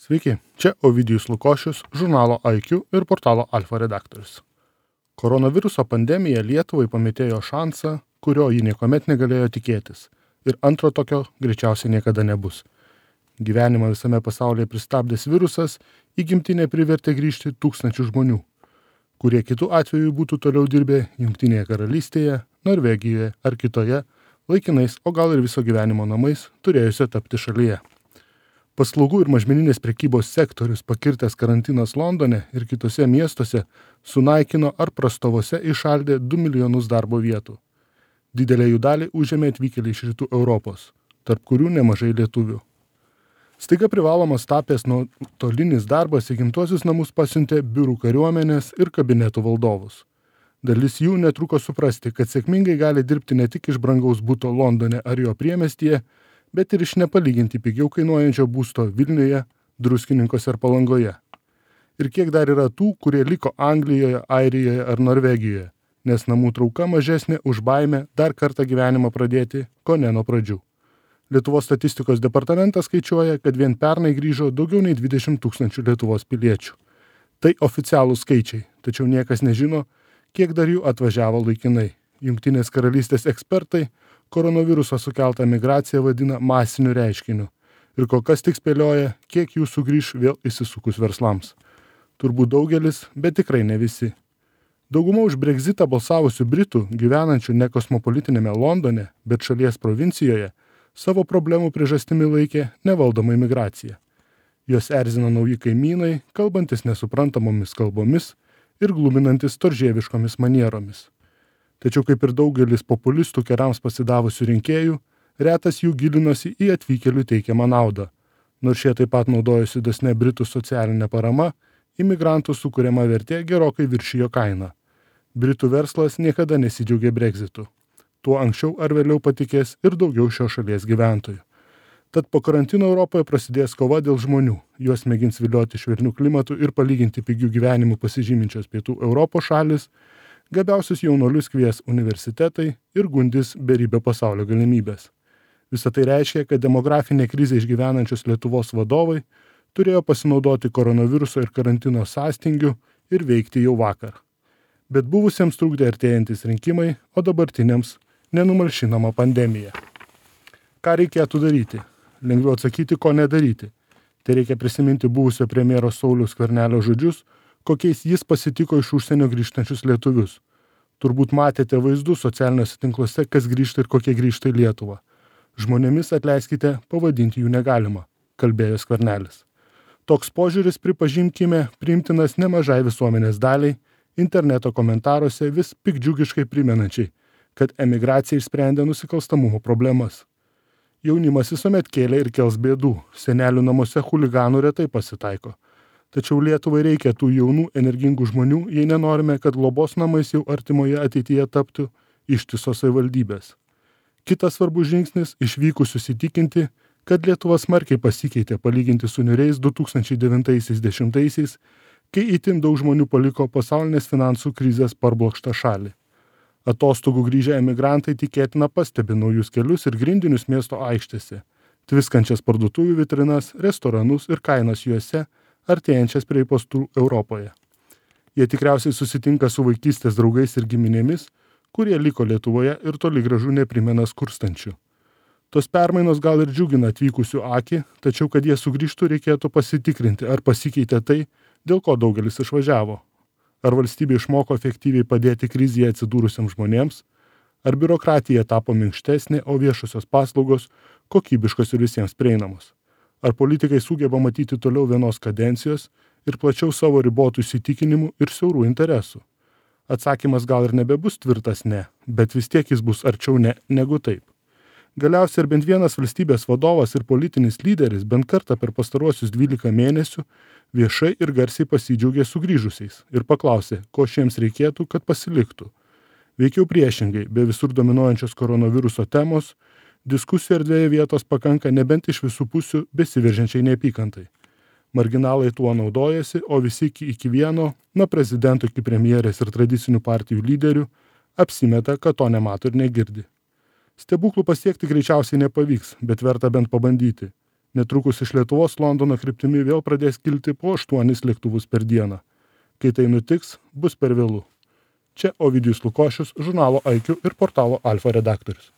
Sveiki, čia Ovidijus Lukošius, žurnalo IQ ir portalo Alfa redaktorius. Koronaviruso pandemija Lietuvai pametėjo šansą, kurio ji niekuomet negalėjo tikėtis. Ir antro tokio greičiausiai niekada nebus. Gyvenimą visame pasaulyje pristabdęs virusas į gimtinę privertė grįžti tūkstančių žmonių, kurie kitų atveju būtų toliau dirbę Jungtinėje karalystėje, Norvegijoje ar kitoje, laikinais, o gal ir viso gyvenimo namais, turėjusio tapti šalyje. Paslaugų ir mažmeninės prekybos sektorius pakirtęs karantinas Londone ir kitose miestuose sunaikino ar prastovose išaldė 2 milijonus darbo vietų. Didelę jų dalį užėmė atvykėliai iš rytų Europos, tarp kurių nemažai lietuvių. Staiga privalomas tapęs nuotolinis darbas į gimtuosius namus pasiuntė biurų kariuomenės ir kabinetų valdovus. Dalis jų netruko suprasti, kad sėkmingai gali dirbti ne tik iš brangaus buto Londone ar jo priemiestyje, bet ir iš nepalyginti pigiau kainuojančio būsto Vilniuje, Druskininkuose ar Palangoje. Ir kiek dar yra tų, kurie liko Anglijoje, Airijoje ar Norvegijoje, nes namų trauka mažesnė už baimę dar kartą gyvenimą pradėti, ko ne nuo pradžių. Lietuvos statistikos departamentas skaičiuoja, kad vien pernai grįžo daugiau nei 20 000 Lietuvos piliečių. Tai oficialūs skaičiai, tačiau niekas nežino, kiek dar jų atvažiavo laikinai. Jungtinės karalystės ekspertai koronaviruso sukeltą migraciją vadina masiniu reiškiniu ir kol kas tik spėlioja, kiek jų sugrįš vėl įsisukus verslams. Turbūt daugelis, bet tikrai ne visi. Dauguma už Brexitą balsavusių Britų, gyvenančių ne kosmopolitinėme Londone, bet šalies provincijoje, savo problemų priežastimi laikė nevaldoma imigracija. Jos erzina nauji kaimynai, kalbantis nesuprantamomis kalbomis ir gluminantis storžieviškomis manieromis. Tačiau kaip ir daugelis populistų kerams pasidavusių rinkėjų, retas jų gilinosi į atvykėlių teikiamą naudą. Nors šie taip pat naudojosi dosne Britų socialinė parama, imigrantų sukuriama vertė gerokai viršijo kainą. Britų verslas niekada nesidžiaugė Brexitu. Tuo anksčiau ar vėliau patikės ir daugiau šios šalies gyventojų. Tad po karantino Europoje prasidės kova dėl žmonių. Juos mėgins vilioti švelnių klimatų ir palyginti pigių gyvenimų pasižyminčios pietų Europos šalis, gabiausius jaunuolius kvies universitetai ir gundys beribio pasaulio galimybės. Visą tai reiškia, kad demografinė krizė išgyvenančios Lietuvos vadovai turėjo pasinaudoti koronaviruso ir karantino sąstingiu ir veikti jau vakar. Bet buvusiems trukdė artėjantis rinkimai, o dabartiniams nenumalšinama pandemija. Ką reikėtų daryti? Lengviau atsakyti, ko nedaryti. Tai reikia prisiminti buvusio premjero Sauliaus Skvernelio žodžius, kokiais jis pasitiko iš užsienio grįžtančius lietuvius. Turbūt matėte vaizdus socialiniuose tinkluose, kas grįžta ir kokie grįžta į Lietuvą. Žmonėmis, atleiskite, pavadinti jų negalima, kalbėjo Skvernelis. Toks požiūris, pripažinkime, priimtinas nemažai visuomenės daliai, interneto komentaruose vis piktdžiugiškai primenančiai, kad emigracija išsprendė nusikalstamumo problemas. Jaunimas visuomet kėlė ir kels bėdų, senelių namuose chuliganų retai pasitaiko. Tačiau Lietuvai reikia tų jaunų, energingų žmonių, jei nenorime, kad globos namais jau artimoje ateityje taptų ištisos savivaldybės. Kitas svarbus žingsnis - išvykusius įtikinti, kad Lietuva smarkiai pasikeitė palyginti su niūriais 2009-10, kai itin daug žmonių paliko pasaulinės finansų krizės parblokštą šalį. Atostogų grįžę emigrantai tikėtina pastebi naujus kelius ir grindinius miesto aikštėse, tviskančias parduotuvių vitrinas, restoranus ir kainas juose, artėjančias prie postų Europoje. Jie tikriausiai susitinka su vaikystės draugais ir giminėmis, kurie liko Lietuvoje ir toli gražu neprimena skurstančių. Tos permainos gal ir džiugina atvykusių akį, tačiau kad jie sugrįžtų reikėtų pasitikrinti, ar pasikeitė tai, dėl ko daugelis išvažiavo. Ar valstybė išmoko efektyviai padėti krizėje atsidūrusiems žmonėms, ar biurokratija tapo minkštesnė, o viešosios paslaugos kokybiškos ir visiems prieinamos. Ar politikai sugeba matyti toliau vienos kadencijos ir plačiau savo ribotų įsitikinimų ir siaurų interesų? Atsakymas gal ir nebebus tvirtas ne, bet vis tiek jis bus arčiau ne negu taip. Galiausiai ir bent vienas valstybės vadovas ir politinis lyderis bent kartą per pastaruosius 12 mėnesių viešai ir garsiai pasidžiaugė sugrįžusiais ir paklausė, ko šiems reikėtų, kad pasiliktų. Veikiau priešingai, be visur dominuojančios koronaviruso temos, diskusijų erdvėje vietos pakanka nebent iš visų pusių besiveržiančiai neapykantai. Marginalai tuo naudojasi, o visi iki vieno, nuo prezidento iki premjerės ir tradicinių partijų lyderių, apsimeta, kad to nemato ir negirdi. Stebuklų pasiekti greičiausiai nepavyks, bet verta bent pabandyti. Netrukus iš Lietuvos Londono kryptimi vėl pradės kilti po 8 lėktuvus per dieną. Kai tai nutiks, bus per vėlu. Čia Ovidijus Lukošius, žurnalo IQ ir portalo Alfa redaktorius.